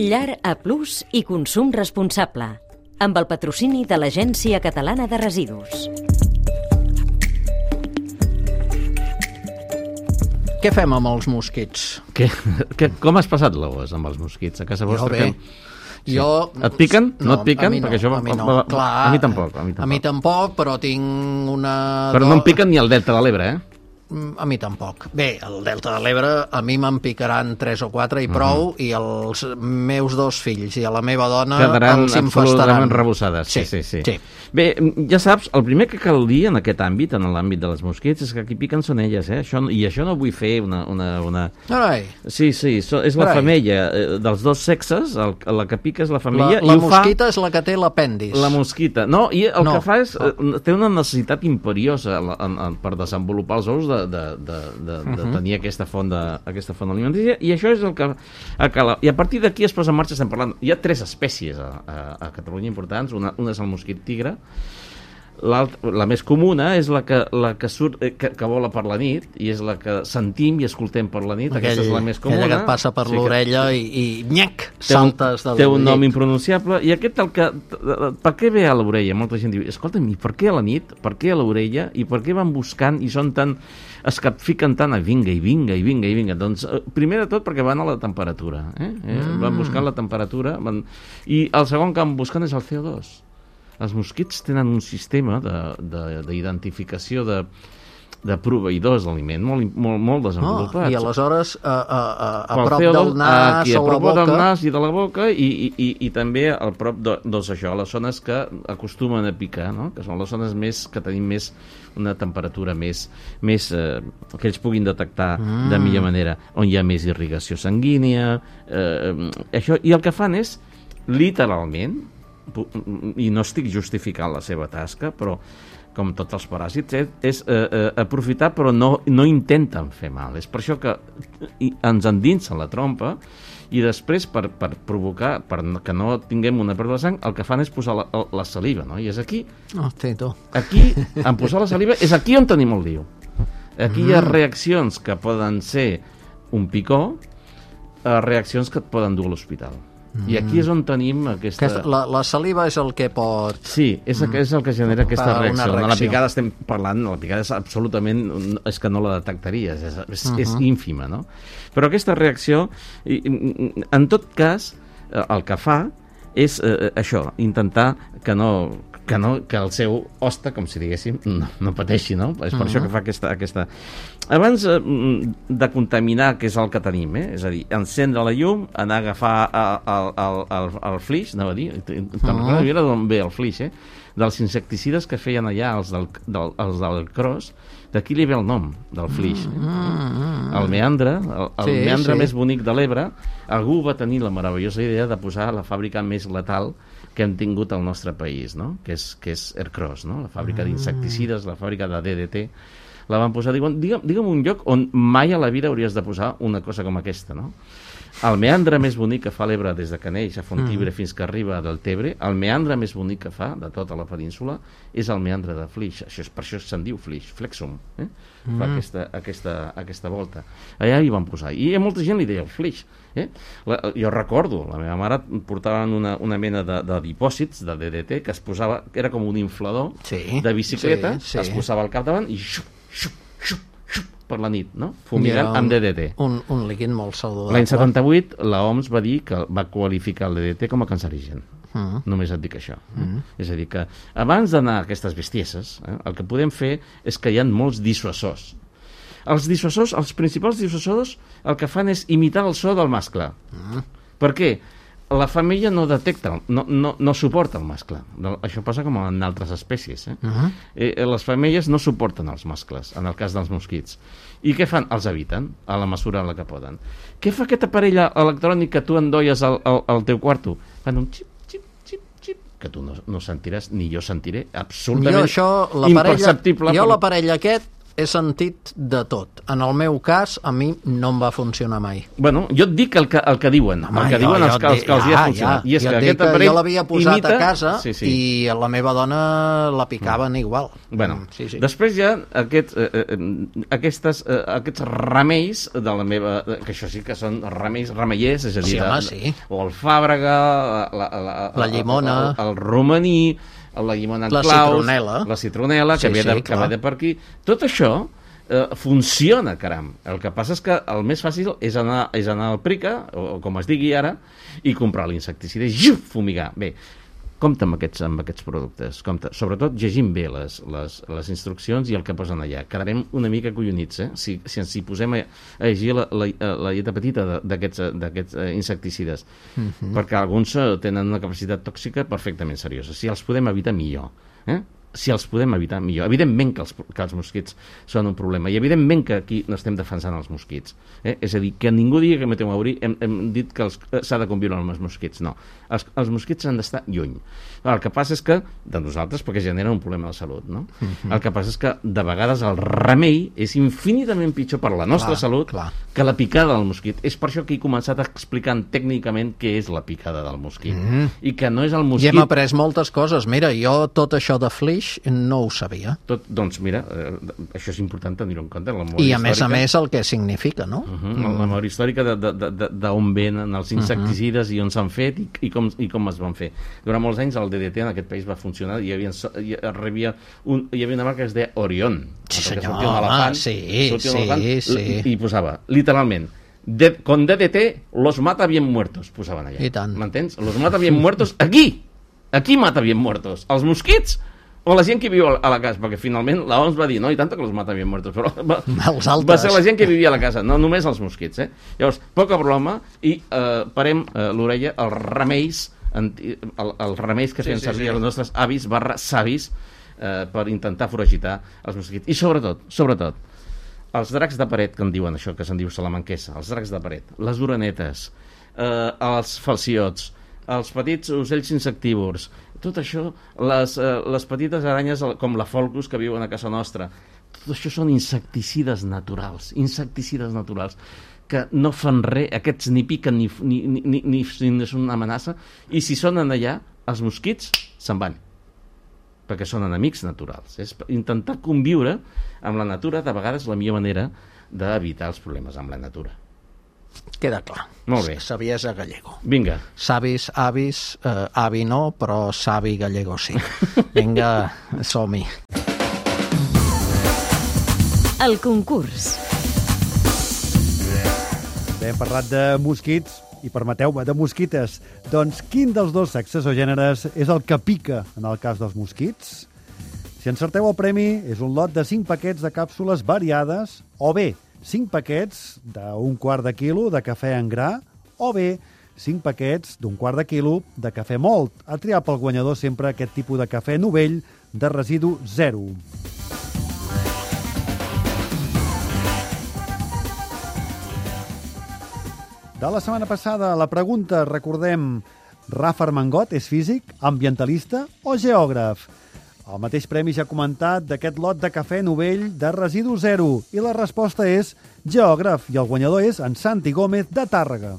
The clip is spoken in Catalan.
Llar A Plus i consum responsable, amb el patrocini de l'Agència Catalana de Residus. Què fem amb els mosquits? Com has passat l'agost amb els mosquits? A casa vostra? Sí. Et piquen? No et piquen? A mi no. Perquè això, a mi tampoc. A mi tampoc, però tinc una... Però no em piquen ni al Delta de l'Ebre, A mi tampoc. Bé, el Delta de l'Ebre a mi me'n picaran 3 o 4 i prou, i els meus 2 fills i a la meva dona quedaran els infestaran. absolutament rebossades. Sí. Bé, ja saps, el primer que cal dir en aquest àmbit, en l'àmbit dels mosquits, és que qui piquen són elles, I això no vull fer una... Carai. Sí, és la femella dels dos sexes, la que pica és la femella. La mosquita és la que té l'apèndix. La mosquita, no, i el que fa és... Té una necessitat imperiosa per desenvolupar els ous de tenir aquesta font alimentària, i això és el que cal. I a partir d'aquí es posa en marxa, estem parlant... Hi ha 3 espècies a Catalunya importants, una és el mosquit tigre, la més comuna és la que surt, que vola per la nit, i és la que sentim i escoltem per la nit. Aquesta és la més comuna. Aquella que et passa per l'orella i nyac, saltes del llit. Té un nom impronunciable, i aquest per què ve a l'orella? Molta gent diu, escolta'm, i per què a la nit? Per què a l'orella? I per què van buscant i són tan... es capfiquen tant a vinga. Doncs, primer de tot, perquè van a la temperatura. Van buscant la temperatura, i el segon que van buscant és el CO2. Els mosquits tenen un sistema d'identificació de proveïdors d'aliment molt desenvolupat. I aleshores a prop del nas o la boca... del nas i de la boca, i també a prop de les zones que acostumen a picar, que són les zones que tenim més una temperatura més que ells puguin detectar de millor manera, on hi ha més irrigació sanguínia, i el que fan és, literalment, i no estic justificant la seva tasca, però com tots els paràsits, és aprofitar, però no intenten fer mal. És per això que ens endinsen la trompa, i després, per provocar, que no tinguem una pèrdua de sang, el que fan és posar la saliva, I és aquí, en posar la saliva, és aquí on tenim el lío. Aquí hi ha reaccions que poden ser un picó, reaccions que et poden dur a l'hospital. I aquí és on tenim aquesta... La saliva és el que pot... Sí, és el que genera aquesta reacció. La picada estem parlant, la picada és absolutament... és que no la detectaries, és ínfima, no? Però aquesta reacció, en tot cas, el que fa és això, intentar que el seu hoste, com si diguéssim, no pateixi, no? És per això que fa aquesta... Abans de contaminar, que és el que tenim, és a dir, encendre la llum, anar a agafar el flix, anava a dir, te'n recordes d'on ve el flix, dels insecticides que feien allà els del Cros, d'aquí li ve el nom del flix. El meandre, el meandre més bonic de l'Ebre, algú va tenir la meravellosa idea de posar la fàbrica més letal que hem tingut al nostre país, que és Ercros, la fàbrica d'insecticides, la fàbrica de DDT, la van posar, digue'm un lloc on mai a la vida hauries de posar una cosa com aquesta, El meandre més bonic que fa l'Ebre des de que neix a Fonthibre fins que arriba del Tebre, el meandre més bonic que fa de tota la península és el meandre de Flix. Per això se'n diu Flix, Flexum, fa aquesta volta. Allà hi van posar. I a molta gent li deia Flix. Jo recordo, la meva mare portaven una mena de dipòsits de DDT que es posava, era com un inflador de bicicleta, es posava al capdavant i xup, per la nit, fumigant amb DDT. Un líquid molt saludable. L'any 78 l'OMS va dir que va qualificar el DDT com a cancerigen. Només et dic això. És a dir, que abans d'anar a aquestes bestieses, el que podem fer és que hi ha molts dissuasors. Els principals dissuasors el que fan és imitar el so del mascle. Per què? La femella no detecta, no suporta el mascle. Això passa com en altres espècies. Les femelles no suporten els mascles, en el cas dels mosquits. I què fan? Els eviten, a la mesura en la que poden. Què fa aquest aparell electrònic que tu endolles al teu quarto? Fan un xip, que tu no sentiràs, ni jo sentiré, absolutament imperceptible. Jo l'aparell aquest he sentit de tot. En el meu cas, a mi no em va funcionar mai. Bueno, jo et dic el que diuen. Home, el que diuen els que els hi ha funcionat. I és que aquest aparell jo l'havia posat a casa sí. i a la meva dona la picaven igual. Bueno, sí. Després hi ha aquests remeis de la meva... que això sí que són remeiers, és a dir, o el fàbrega, la llimona, el romaní, la llimona en claus, la citronela, que ve de per aquí. Tot això funciona, caram. El que passa és que el més fàcil és anar al Prica, o com es digui ara, i comprar l'insecticida i fumigar. Bé, compte amb aquests productes. Compte. Sobretot llegim bé les instruccions i el que posen allà. Quedarem una mica collonits, si ens hi posem a llegir la lletra petita d'aquests insecticides. Perquè alguns tenen una capacitat tòxica perfectament seriosa. Si els podem evitar, millor. Si els podem evitar, millor. Evidentment que els mosquits són un problema i evidentment que aquí no estem defensant els mosquits. És a dir, que ningú digui que Meteo Mauri hem dit que s'ha de conviure amb els mosquits. No, els mosquits han d'estar lluny. El que passa és que, de nosaltres, perquè generen un problema de salut, no? El que passa és que de vegades el remei és infinitament pitjor per la nostra salut que la picada del mosquit. És per això que he començat explicant tècnicament què és la picada del mosquit. I que no és el mosquit... I hem après moltes coses. Mira, jo tot això de flix no ho sabia. Doncs mira, això és important tenir-ho en compte. I a més el que significa, no? La memòria històrica d'on venen els insecticides i on s'han fet i com es van fer. Durant molts anys el DDT en aquest país va funcionar i hi havia una marca que es deia Orion. Sí, senyor, home, sí. I posava, literalment, con DDT los mata bien muertos, posaven allà. I tant. M'entens? Los mata bien muertos aquí mata bien muertos. Els mosquits o la gent que viu a la casa, perquè finalment l'OMS va dir, no, i tant que els mata bien muertos, però va ser la gent que vivia a la casa, no només els mosquits. Llavors, poca broma, i parem l'orella als remeis, els remeis que feien servir els nostres avis /savis per intentar foragitar els mosquits. I sobretot, els dracs de paret, que en diuen això, que se'n diu salamanquesa, els dracs de paret, les orenetes, els falciots, els petits ocells insectívors, tot això, les petites aranyes com la folcus que viuen a casa nostra, tot això són insecticides naturals, que no fan res, aquests ni piquen ni són una amenaça, i si són allà, els mosquits se'n van, perquè són enemics naturals. És intentar conviure amb la natura, de vegades la millor manera d'evitar els problemes amb la natura. Queda clar. Molt bé. Saviesa gallego. Vinga. Savis, avis, avi no, però savi gallego sí. Vinga, som-hi. El concurs. Bé, hem parlat de mosquits i, permeteu-me, de mosquites. Doncs quin dels dos sexes o gèneres és el que pica en el cas dels mosquits? Si encerteu el premi, és un lot de 5 paquets de càpsules variades, o bé 5 paquets d'un quart de quilo de cafè en gra, o bé 5 paquets d'un quart de quilo de cafè mòlt. A triar pel guanyador sempre aquest tipus de cafè novell de residu zero. De la setmana passada, la pregunta, recordem, Rafa Armengot és físic, ambientalista o geògraf? El mateix premi ja ha comentat d'aquest lot de cafè novell de residu zero i la resposta és geògraf i el guanyador és en Santi Gómez de Tàrrega.